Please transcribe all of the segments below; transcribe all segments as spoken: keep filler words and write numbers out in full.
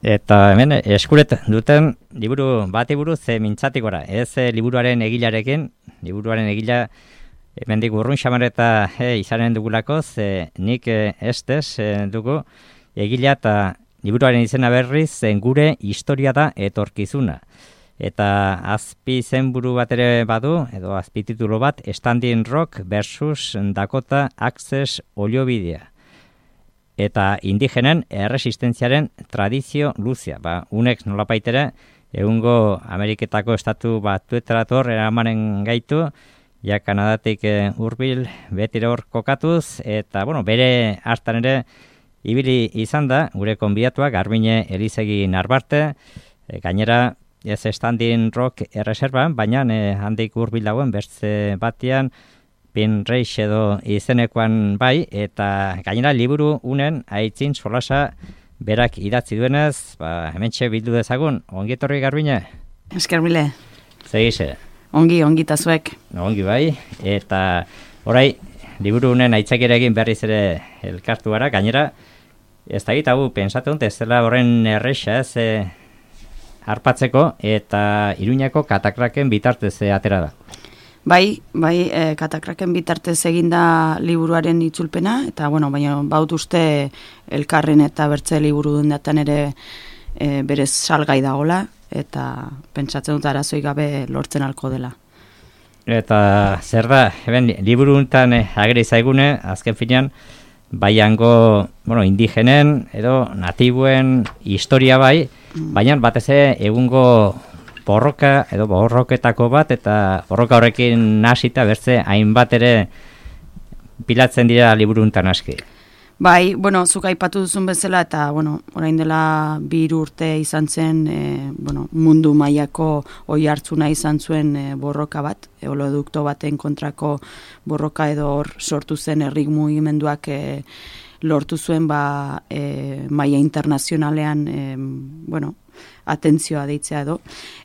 Eta hemen eskuret duten liburu bati buruz ze mintzatik gora. Ez e, liburuaren egilarekin, liburuaren egila hemendik urrun xamar eta e, izanen dugulako, ze nik e, estez e, dugu egila eta liburuaren izena berriz zen gure historia da etorkizuna. Eta azpi zenburu bat ere badu, edo azpi titulo bat, Standing Rock versus Dakota Access Ollobidea. Eta indigenen erresistentziaren tradizio luzea. Ba, unek nolapaitere, egungo Ameriketako estatu batuetarator eramanen gaitu, ja Kanadatik e, hurbil betira hor kokatuz, eta bueno, bere hartan ere ibili izan da, gure konbidatuak, Garbine Elizegi Narbarte, e, gainera ez Standing Rock erreserban, baina e, handik hurbil dagoen bertze batean, Pin Reich edo izenekoan bai, eta gainera liburu unen aitzin solasa berak idatzi duenez, ba, hementxe bildu dezagun, ongi etorri Garbine? Esker mile. Segize? Ongi, ongi tazuek. Ongi bai, eta orai, liburu unen aitzakiarekin berriz ere elkartu gara, gainera, ez da gitagu, pensatu dut, ez dela horren erresa, ez e, harpatzeko, eta Iruñako katakraken bitartez e, atera da. Bai, bai, e, katakraken bitartez eginda liburuaren itzulpena, eta, bueno, baina baut uste elkarren eta bertze liburu dundatan ere e, berez salgai dagola, eta pentsatzen dut arazoi gabe lortzen alko dela. Eta zer da, eben, liburu untan eh, ageri zaigune, azken finean, baiango, bueno, indigenen, edo natibuen historia bai, mm. baina batez ere egungo borroka edo borroketako bat, eta borroka horrekin nasita bertze hainbat ere pilatzen dira liburuntan aski. Bai, bueno, zuk aipatu duzun bezala, eta, bueno, orain dela bi hiru urte izan zen, e, bueno, mundu mailako oi hartzuna izan zuen e, borroka bat, eolodukto baten kontrako borroka edo hor sortu zen herri mugimenduak e, lortu zuen ba, e, maila internazionalean, e, bueno, atentzioa deitzea edo.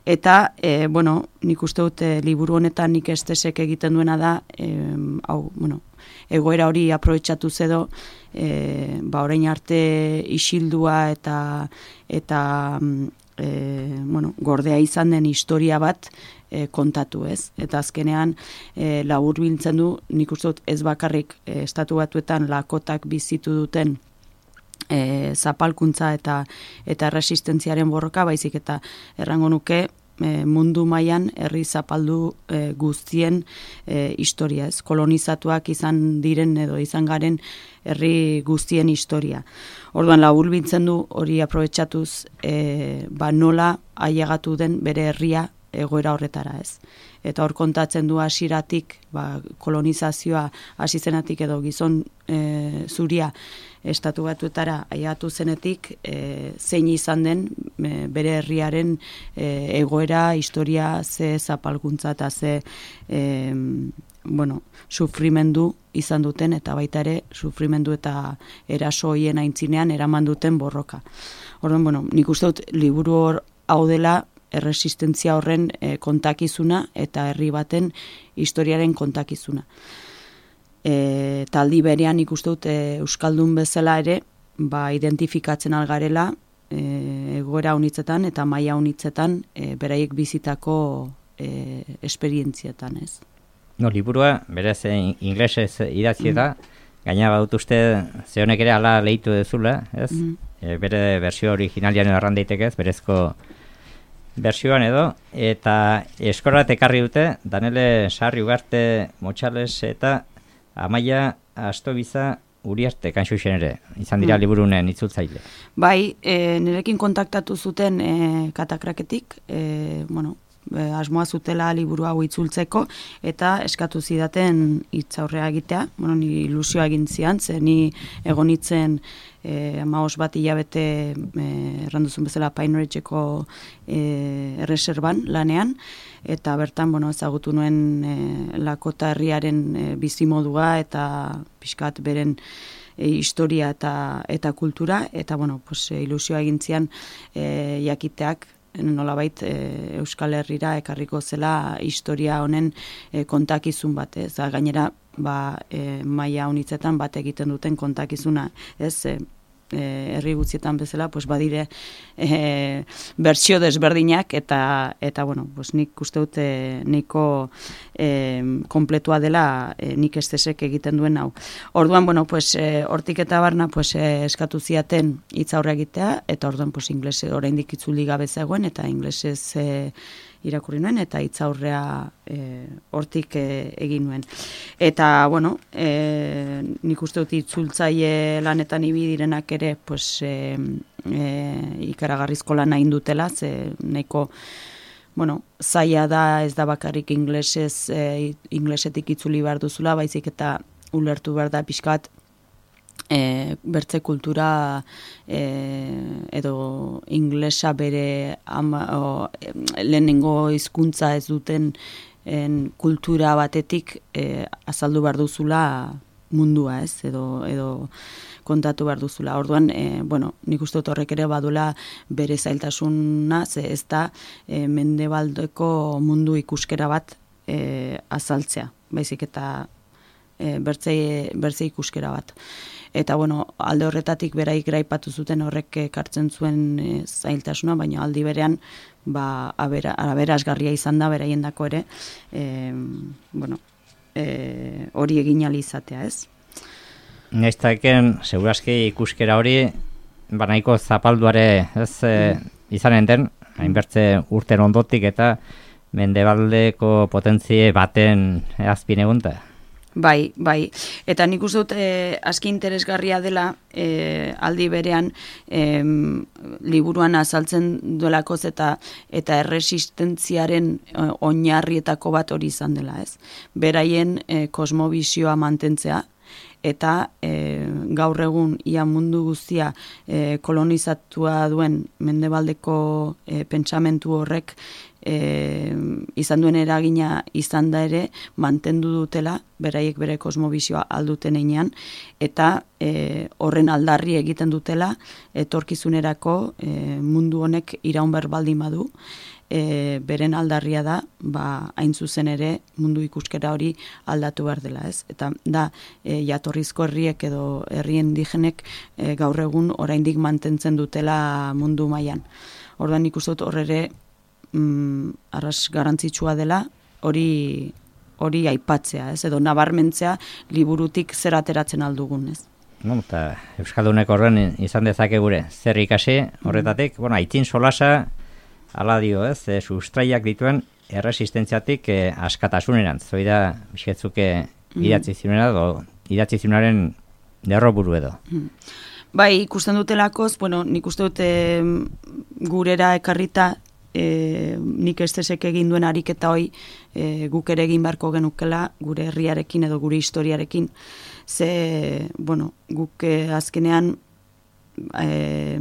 Eta, e, bueno, nik uste dut e, liburu honetan nik estesek egiten duena da, e, hau, bueno, egoera hori aprobetxatu edo, e, ba, orain arte isildua eta, eta e, bueno, gordea izan den historia bat e, kontatu ez. Eta azkenean e, labur biltzen du, nik uste dut ez bakarrik e, estatu batuetan lakotak bizitu duten E, zapalkuntza eta eta resistentziaren borroka, baizik eta errango nuke e, mundu mailan herri zapaldu e, guztien e, historia, ez? Kolonizatuak izan diren edo izan garen herri guztien historia. Orduan labur biltzen du hori aprobetxatuz e, ba nola ailegatu den bere herria egoera horretara, ez? Eta hor kontatzen du hasieratik, ba, kolonizazioa hasi zenatik edo gizon e, zuria estatu batuetara ailegatu zenetik, e, zein izan den e, bere herriaren e, egoera, historia, ze zapalkuntza eta ze e, bueno, sufrimendu izan duten, eta baita ere sufrimendu eta eraso hoien aintzinean eraman duten borroka. Orduan, bueno, nik uste dut liburu hor hau dela erresistentzia horren e, kontakizuna eta herri baten historiaren kontakizuna. E, taldi berean ikuste dut e, euskaldun bezala ere, ba, identifikatzen algarela e, egoera unitzetan eta maila unitzetan e, beraiek bizitako e, esperientzietan, ez? No, liburua, berez inglesez idatzi da, mm. gaina badut uste ze honek ere ala lehitu dezula, ez? Mm. E, bere bersio originalian erran daitekez, berezko bersioan edo, eta eskorat ekarri dute, Danele Sarri Ugarte Motxales eta Amaia Astobiza Uriarte Kanxuxen ere, izan dira mm. liburunen itzultzaile. Bai, e, nirekin kontaktatu zuten e, katakraketik, e, bueno, e, asmoa zutela liburu hau itzultzeko, eta eskatu zidaten hitzaurrea egitea, bueno, ni ilusioa egin zian, ze ni egonitzen E, amaos bat hilabete e, erranduzun bezala Pine Ridgeko e, erreserban lanean, eta bertan, bueno, ezagutu nuen e, Lakota herriaren e, bizimodua eta pixkat beren e, historia eta, eta kultura, eta, bueno, pues, e, ilusioa egin zian e, jakiteak nolabait e, Euskal Herrira ekarriko zela historia honen e, kontakizun bat, ez, gainera ba, e, maila honitzetan bat egiten duten kontakizuna, ez, e, herri guztietan bezala, pues badire e, bertsio desberdinak eta eta bueno, pues nik uste dut e, niko e, kompletua dela e, nik estesek egiten duen hau. Orduan, bueno, pues e, hortik eta barna pues e, eskatu ziaten hitz aurre egitea eta orduan pues ingeles oraindik itzuli gabe zegoen eta ingelesez e, irakurri nuen eta hitz aurrea e, hortik e, egin nuen. Eta, bueno, e, nik uste dut itzultzaile lanetan ibi direnak ere, pues, e, e, ikaragarrizko lana indutela, ze nahiko, bueno, zaila da ez da bakarrik inglesez, e, inglesetik itzuli behar duzula, baizik eta ulertu behar da pixkat, E, bertze kultura e, edo inglesa bere ama, o, e, lehenengo hizkuntza ez duten en, kultura batetik e, azaldu behar duzula mundua, ez, edo, edo kontatu behar duzula. Orduan, e, bueno, nik uste dut horrek ere badula bere zailtasuna, ze ez da e, mendebaldeko mundu ikuskera bat e, azaltzea, baizik eta e, bertze, bertze ikuskera bat. Eta, bueno, alde horretatik beraik graipatu zuten horrek ekartzen zuen e, zailtasuna, baina aldi berean, ba, abera, aberasgarria izan da beraiendako ere, e, bueno, e, hori egin ahal izatea, ez? Naiztaken, segurazki ikuskera hori, banaiko zapalduare, ez, e, izanen den, hainbertze urten ondotik eta mendebaldeko potentzie baten azpin egunta. Bai, bai. Eta nik uste dut eh, aski interesgarria dela eh, aldi berean eh, liburuan azaltzen duelakoz eta eta erresistentziaren eh, oinarrietako bat hori izan dela, ez? Beraien eh, kosmobizioa mantentzea eta e, gaur egun ia mundu guztia e, kolonizatua duen mendebaldeko e, pentsamentu horrek e, izan duen eragina izan da ere mantendu dutela, beraiek bere kosmobizioa alduten einean, eta e, horren aldarri egiten dutela etorkizunerako e, mundu honek iraun behar baldin badu, E, beren aldarria da, ba, hain zuzen ere mundu ikuskera hori aldatu behar dela, ez? Eta da, e, jatorrizko herriek edo herri indigenek e, gaur egun oraindik mantentzen dutela mundu mailan. Orduan ikusten dut hor ere mm, arras garrantzitsua dela hori hori aipatzea, ez? Edo nabarmentzea liburutik zer ateratzen aldugun, ez? No, eta Euskaldunek horren izan dezake gure zer ikasi horretatik, mm. bueno, aitzin solasa ala dio, ez, e, sustraiak dituen erresistentziatik e, askatasunerantz. Zoi da, bisketzuke idatzi zionera, edo idatzi zionaren derroburu edo. Mm. Bai, ikusten dutelakoz, bueno, nik uste dute gurera ekarrita, e, nik estesek egin duen ariketa hoi e, guk ere egin beharko genukela gure herriarekin edo gure historiarekin. Ze, bueno, guk e, azkenean E,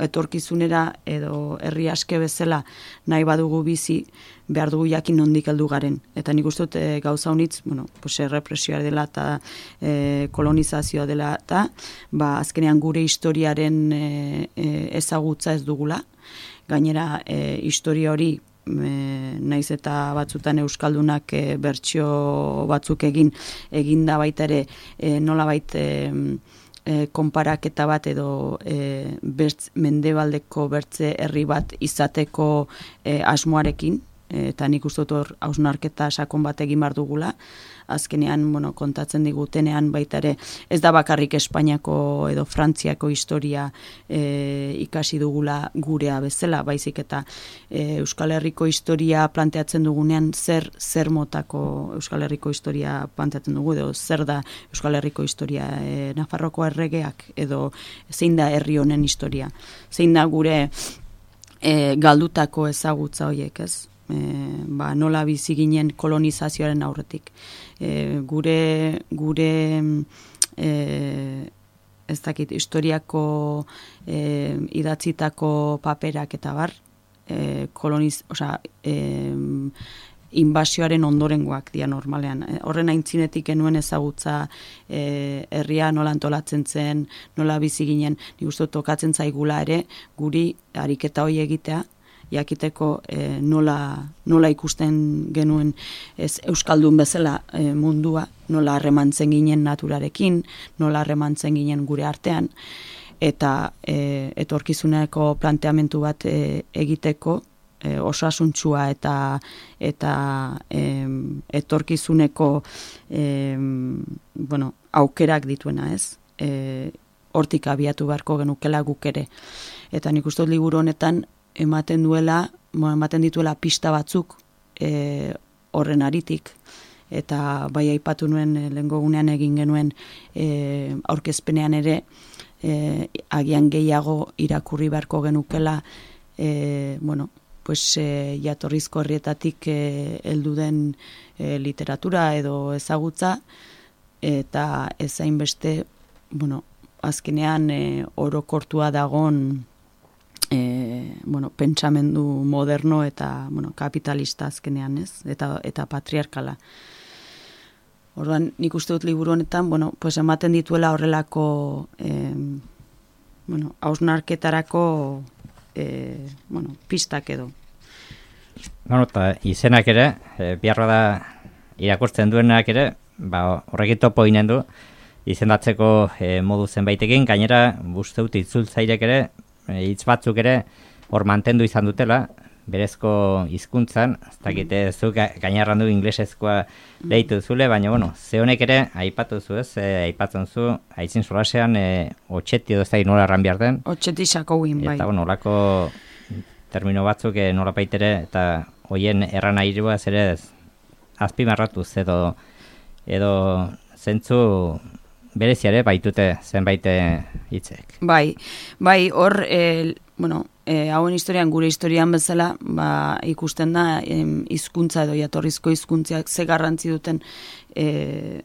etorkizunera edo herri aske bezala nahi badugu bizi, behar dugu jakin nondik heldu garen. Eta nik uste dut e, gauza honitz, bueno, pues, errepresioa dela eta e, kolonizazioa dela eta ba, azkenean gure historiaren e, e, ezagutza ez dugula. Gainera, e, historia hori E, naiz eta batzutan euskaldunak e, bertsio batzuk egin egin da baita ere e, nola baita e, E, konparaketa bat edo e, bertz, mendebaldeko bertze herri bat izateko e, asmoarekin, e, eta nik uste dut hor hausnarketa sakon bat egin behar dugula. Azkenean, bueno, kontatzen digutenean baita ere, ez da bakarrik Espainiako edo Frantziako historia e, ikasi dugula gurea bezala, baizik eta e, Euskal Herriko historia planteatzen dugunean zer zer motako Euskal Herriko historia planteatzen dugu, edo zer da Euskal Herriko historia, e, Nafarroko erregeak edo zein da herri honen historia, zein da gure e, galdutako ezagutza horiek, ez? E, ba, nola bizi ginen kolonizazioaren aurretik. E, gure gure e, ez dakit, historiako e, idatzitako paperak eta bar, e, koloniz, osea, e, inbasioaren ondorengoak dira normalean. E, horren aintzinetik genuen ezagutza e, herria nola antolatzen zen, nola bizi ginen, nik uste tokatzen zaigula ere, guri ariketa hori egitea, jakiteko e, nola, nola ikusten genuen ez euskaldun bezala e, mundua, nola harremantzen ginen naturarekin, nola harremantzen ginen gure artean, eta e, etorkizuneko planteamendu bat e, egiteko e, osasuntsua eta eta e, etorkizuneko e, bueno, aukerak dituena, ez? E, hortik abiatu beharko genukela guk ere. Eta nik uste dut liburu honetan ematen duela, ematen dituela pista batzuk e, horren aritik, eta bai aipatu nuen e, lehengo gunean egin genuen e, aurkezpenean ere e, agian gehiago irakurri beharko genukela e, bueno, pues e, jatorrizko herrietatik e, heldu den e, literatura edo ezagutza, eta ez hainbeste, bueno, azkenean e, orokortua dagon e, bueno, pentsamendu moderno eta bueno, kapitalista azkenean, ez? Eta, eta patriarkala. Orduan, nik uste dut liburu honetan, bueno, pues ematen dituela horrelako eh, bueno, hausnarketarako eh, bueno, pistak edo. Bueno, eta izenak ere, e, biharra da irakurtzen duenak ere, ba, horrekin topo ginen du, izendatzeko e, modu zenbaitekin, gainera, uste dut itzultzailek ere, e, hitz batzuk ere, hor mantendu izan dutela, berezko hizkuntzan, ez dakite zuk gainerran du inglesezkoa lehitu zule, baina, bueno, ze honek ere, aipatu zu ez, e, aipatzen zu, aitzin solasean, e, otxeti edo ez da nola erran behar den. Otxeti sakouin, bai. Eta, bueno, olako termino batzuk e, nola baitere, eta hoien erran airua ere azpimarratuz edo, edo zentzu bereziare baitute zenbait hitzek. Bai, bai, hor, e, bueno, E, hauen historian, gure historian bezala, ba, ikusten da em, hizkuntza edo jatorrizko hizkuntziak ze garrantzi duten e,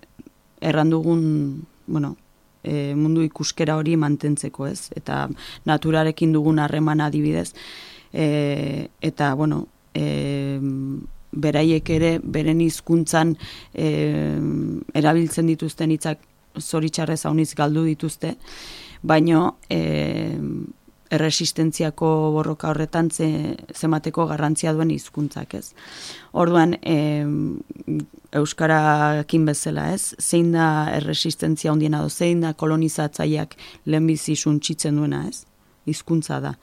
errandugun, bueno, e, mundu ikuskera hori mantentzeko, ez? Eta naturarekin dugun harreman adibidez. E, eta, bueno, e, beraiek ere, beren hizkuntzan e, erabiltzen dituzten hitzak zoritxarrez hauniz galdu dituzte, baino e, erresistentziako borroka horretan ze, zemateko garrantzia duen hizkuntzak, ez. Orduan, e, euskarakin bezala, ez, zein da erresistentzia hondiena do, zein da kolonizatzaileak lehenbizi suntsitzen duena, ez, hizkuntza da.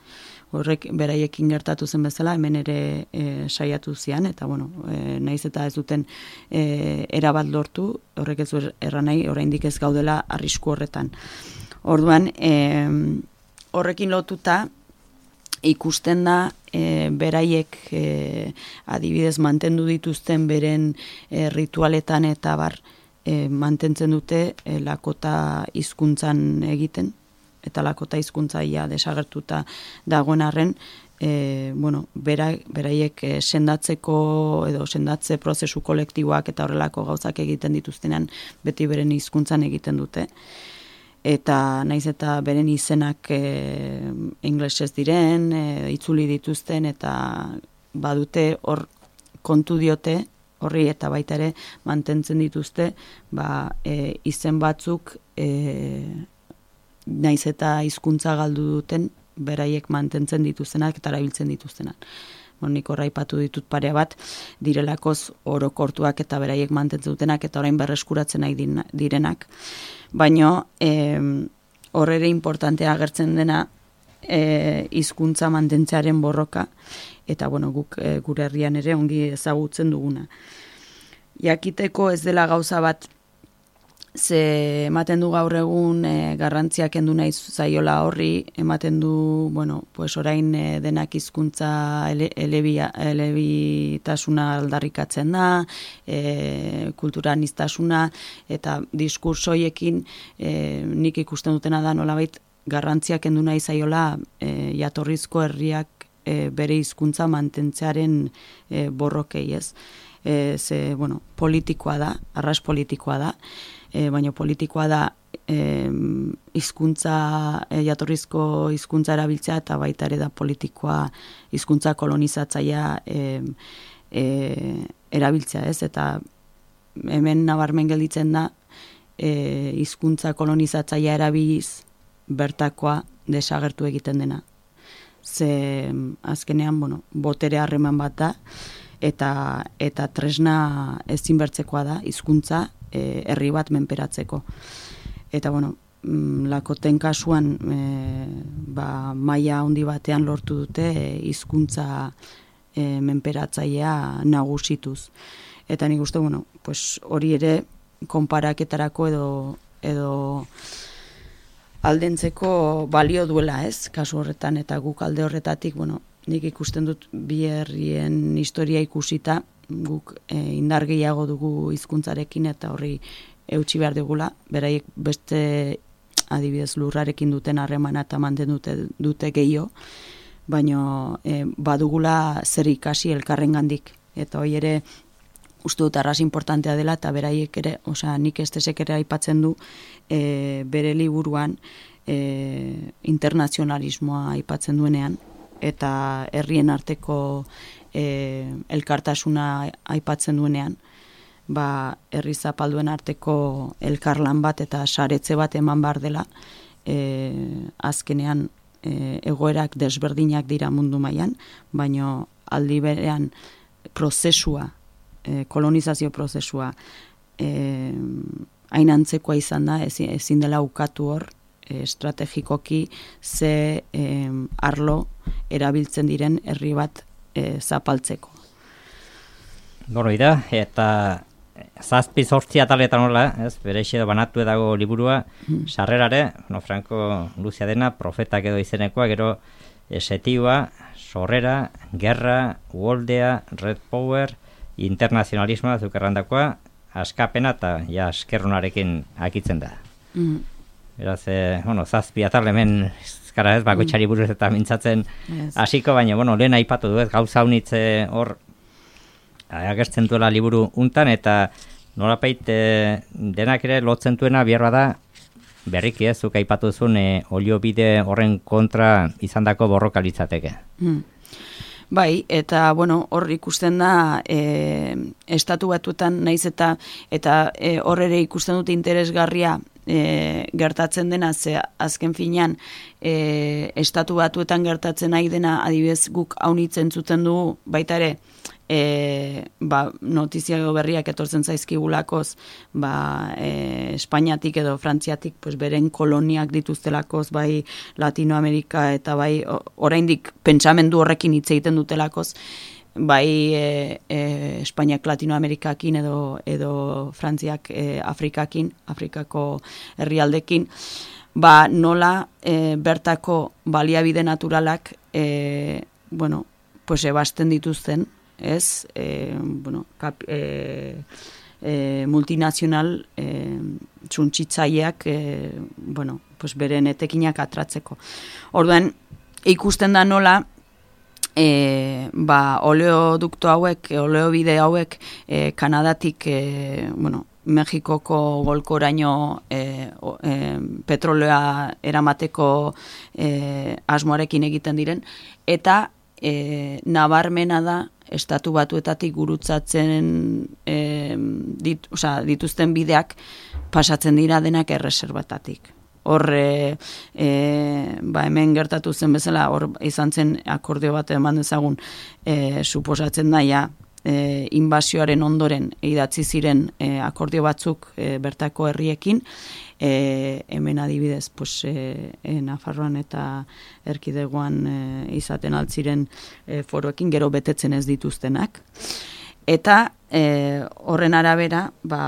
Horrek beraiekin gertatu zen bezala, hemen ere e, saiatu zian, eta bueno, e, naiz eta ez duten e, erabat lortu, horrek ez du erran nahi, oraindik ez gaudela arrisku horretan. Orduan, e, horrekin lotuta ikusten da e, beraiek e, adibidez mantendu dituzten beren e, ritualetan eta bar e, mantentzen dute e, lakota hizkuntzan egiten, eta lakota hizkuntzaia desagertuta dagoen arren, e, bueno, bera, beraiek e, sendatzeko edo sendatze prozesu kolektiboak eta horrelako gauzak egiten dituztenan beti beren hizkuntzan egiten dute. Eta naiz eta beren izenak e, inglesez diren, e, itzuli dituzten, eta badute hor kontu diote, horri eta baita ere mantentzen dituzte, ba, e, izen batzuk e, naiz eta hizkuntza galdu duten, beraiek mantentzen dituztenak eta erabiltzen dituztenak. Bon, nik horra aipatu ditut pare bat, direlakoz orokortuak eta beraiek mantentzen dutenak eta orain berreskuratzen nahi direnak. Baina horre importantea agertzen dena e, hizkuntza mantentzearen borroka, eta bueno, guk e, gure herrian ere ongi ezagutzen duguna. Jakiteko ez dela gauza bat, ze ematen du gaur egun e, garrantziak kendu nahi zaiola horri, ematen du, bueno, pues orain e, denak hizkuntza ele, elebia, elebitasuna aldarrikatzen da, e, kulturaniztasuna, eta diskursoiekin e, nik ikusten dutena da nolabait garrantziak kendu nahi zaiola e, jatorrizko herriak e, bere hizkuntza mantentzearen e, borrokei, ez? E, ze, bueno, politikoa da, arras politikoa da, E, baina politikoa da hizkuntza e, jatorrizko hizkuntza erabiltzea eta baita ere da politikoa hizkuntza kolonizatzailea e, e, erabiltzea, ez? Eta hemen nabarmen gelditzen da e, hizkuntza kolonizatzailea erabiliz bertakoa desagertu egiten dena. Ze azkenean, bueno, botere harreman bat da eta eta tresna ezinbertzekoa da hizkuntza herri bat menperatzeko. Eta, bueno, Lakoten kasuan e, ba, maila handi batean lortu dute hizkuntza e, menperatzailea nagusituz. Eta nik uste, bueno, pues hori ere konparaketarako edo edo aldentzeko balio duela, ez? Kasu horretan eta guk alde horretatik, bueno, nik ikusten dut bi herrien historia ikusita, guk e, indar gehiago dugu hizkuntzarekin eta horri eutsi behar dugula, beraiek beste adibidez lurrarekin duten harremana eta mantendu dute, dute gehiago, baina e, badugula zer ikasi elkarrengandik. Eta hori ere uste dut arras importantea dela eta beraiek ere, osea, nik estesek ere aipatzen du e, bere liburuan e, internazionalismoa aipatzen duenean eta herrien arteko e, elkartasuna aipatzen duenean, ba, herri zapalduen arteko elkarlan bat eta saretze bat eman behar dela, e, azkenean e, egoerak desberdinak dira mundu mailan, baino aldi berean prozesua, e, kolonizazio prozesua e, hain antzekoa izan da, ezin, ezin dela ukatu hor, e, estrategikoki ze e, arlo erabiltzen diren herri bat e, zapaltzeko. Goro da, eta zazpi zortzi ataletan nola, ez, bere edo banatu dago liburua, mm. sarrerare, no, Franco Luzia dena, profetak edo izenekoa, gero esetioa, sorrera, gerra, uoldea, red power, internazionalismoa, zukerrandakoa, askapena eta ja eskerronarekin akitzen da. Mm. Beraz, eh, bueno, zazpi atal hemen ezkara ez, bakoitzari buruz eta mintzatzen hasiko, yes. Baina, bueno, lehen aipatu du ez, gauza unitze hor agertzen duela liburu untan, eta nolapait e, denak ere lotzen duena bierra da, berriki ez, zuk aipatu zuen e, oliobide horren kontra izandako borroka litzateke. Hmm. Bai, eta bueno, hor ikusten da e, estatu batuetan naiz eta eta e, hor ere ikusten dute interesgarria e, gertatzen dena, ze azken finean e, estatu batuetan gertatzen nahi dena, adibidez guk haunitzen zuten dugu baita ere, E, ba, notizia berriak etortzen zaizkigulakoz, ba, e, Espainiatik edo Frantziatik pues, beren koloniak dituztelakoz, bai Latinoamerika eta bai oraindik pentsamendu horrekin hitz egiten dutelakoz, bai e, e, Espainiak Latinoamerikakin edo, edo Frantziak e, Afrikakin, Afrikako herrialdekin, ba, nola e, bertako baliabide naturalak e, bueno, pues, ebasten dituzten, ez, e, bueno, kap, e, e, multinazional e, txuntxitzaileak e, bueno, pues beren etekinak atratzeko. Orduan, ikusten da nola e, ba, oleodukto hauek, oleobide hauek e, Kanadatik e, bueno, Mexikoko golkoraino e, e, petroleoa eramateko e, asmoarekin egiten diren, eta e, nabarmena da estatu batuetatik gurutzatzen e, dit, oza, dituzten bideak pasatzen dira denak erreserbatatik. Hor, e, e, ba hemen gertatu zen bezala, hor izan zen akordio bat eman dezagun, e, suposatzen daia, e, inbasioaren ondoren idatzi ziren e, akordio batzuk e, bertako herriekin, E, hemen adibidez pues, e, e, Nafarroan eta erkidegoan e, izaten altziren e, foroekin gero betetzen ez dituztenak. Eta e, horren arabera ba,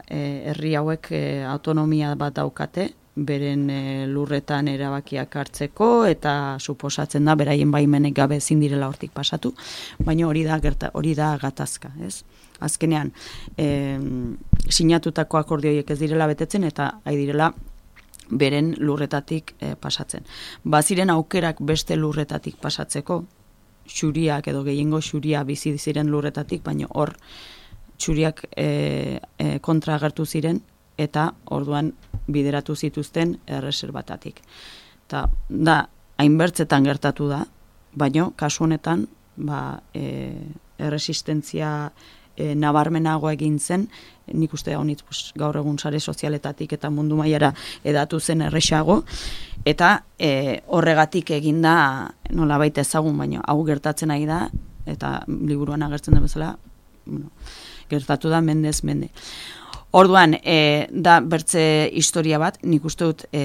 e, herri hauek e, autonomia bat daukate, beren e, lurretan erabakiak hartzeko eta suposatzen da beraien baimenek gabe ezin direla hortik pasatu, baina hori da gerta, hori da gatazka, ez? Azkenean, e, sinatutako akordioiek ez direla betetzen eta ai direla beren lurretatik e, pasatzen. Baziren aukerak beste lurretatik pasatzeko, xuriak edo gehiengo xuria bizi ziren lurretatik, baina hor xuriak e, e, kontra agertu ziren eta orduan bideratu zituzten erreserbatatik. Eta da, hainbertzetan gertatu da, baina kasu honetan ba, e, erresistentzia E, nabarmenagoa egin zen, nik uste honitz pues, gaur egun sare sozialetatik eta mundu mailara edatu zen erresago, eta e, horregatik eginda nola baita ezagun, baina hau gertatzen ari da, eta liburuan agertzen da bezala, bueno, gertatu da mendez mende. Orduan, e, da bertze historia bat, nik uste dut e,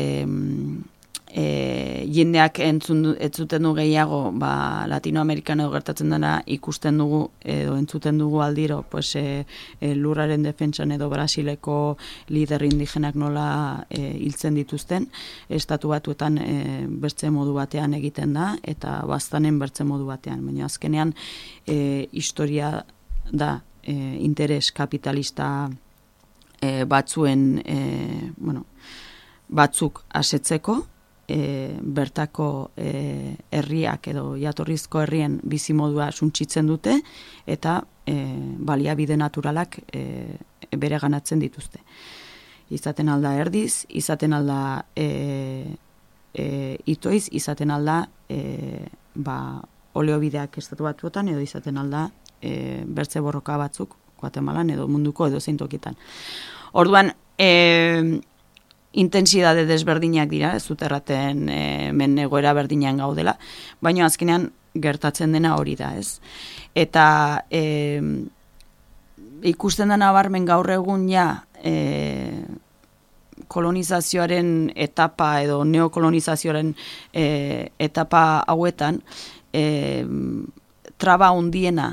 e, jendeak entzun, entzuten du gehiago ba, Latinoamerikan edo gertatzen dena ikusten dugu edo entzuten dugu aldiro pues, e, e, lurraren defentsan edo Brasileko lider indigenak nola e, hiltzen dituzten, estatu batuetan e, bertze modu batean egiten da eta baztanen bertze modu batean, baina azkenean e, historia da e, interes kapitalista e, batzuen e, bueno, batzuk asetzeko E, bertako e, herriak edo jatorrizko herrien bizimodua suntsitzen dute eta e, baliabide naturalak e, bereganatzen dituzte. Izaten alda erdiz, izaten alda e, e, itoiz, izaten alda e, ba, oleobideak estatu batuetan edo izaten alda e, bertze borroka batzuk Guatemalan edo munduko edo zein tokitan. Orduan, e, intensidade desberdinak dira, ez dut erraten e, men egoera berdinean gaudela, baina azkenean gertatzen dena hori da, ez? Eta e, ikusten da nabarmen gaur egun ja e, kolonizazioaren etapa edo neokolonizazioaren e, etapa hauetan e, traba hundiena,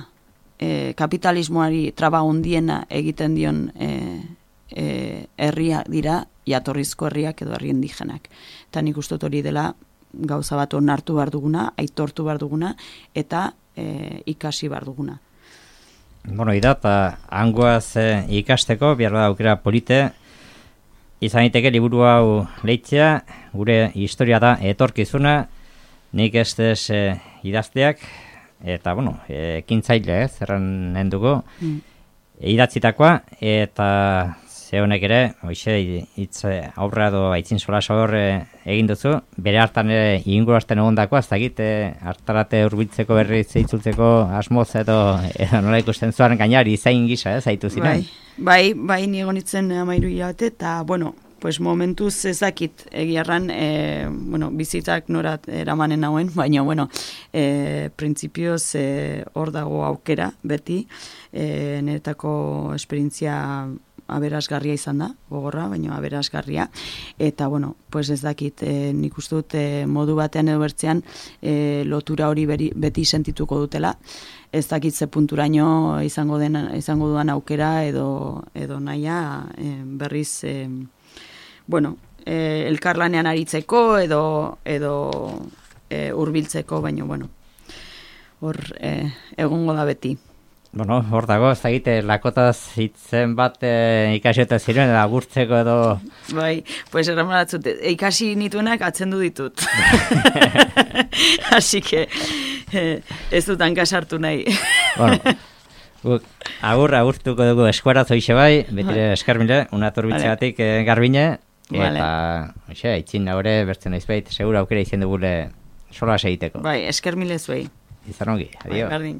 e, kapitalismoari traba hundiena egiten dion e, e, herria dira, jatorrizko herriak edo herri indigenak. Eta nik uste hori dela gauza bat onartu behar duguna, aitortu behar duguna, eta e, ikasi behar duguna. Bueno, ida, eta hangoaz e, ikasteko, behar da aukera polite, izan daiteke liburu hau leitzea, gure historia da etorkizuna, nik ez ez e, idazteak, eta, bueno, ekintzaile, ez, erran nenduko, mm. idatzitakoa, eta ze honek ere, hoxe, hitz aurra edo aitzin sola hor egin duzu, bere hartan ere ingurasten egondakoa, ez dakit, hartarate hurbiltzeko berri zeitzultzeko asmoz edo, edo nola ikusten zuan gainari izain gisa, ez, zaitu ziren? Bai, bai, bai nigo nitzen amairu hilabete, eta, bueno, pues momentuz ezakit egiarran, e, bueno, bizitzak norat eramanen nauen, baina, bueno, e, printzipioz hor e, dago aukera, beti, e, niretako esperientzia aberasgarria izan da, gogorra, baina aberasgarria, eta, bueno, pues ez dakit, e, nik uste dut e, modu batean edo bertzean e, lotura hori beri, beti sentituko dutela, ez dakit ze punturaino izango, den, izango duan aukera edo, edo naia e, berriz, e, bueno, e, elkarlanean aritzeko edo, edo e, hurbiltzeko, baina, bueno, hor e, egongo da beti. Bueno, hor dago, ez dakite, lakotaz hitzen bat e, ikasiota ziren, edo agurtzeko edo... Bai, pues erramaratzut, ikasi nituenak atzendu ditut. Así que eh, ez dut hankasartu nahi. Bueno, guk, agur, agurtuko dugu eskuaraz hoxe bai, betire eskarmile, unaturbitzegatik vale. Garbine, eta, vale. Oxe, aitzin haure, bertzen aizbait, segura aukera izen dugule sola segiteko. Bai, eskarmile zuei. Izan ongi, adio. Bai,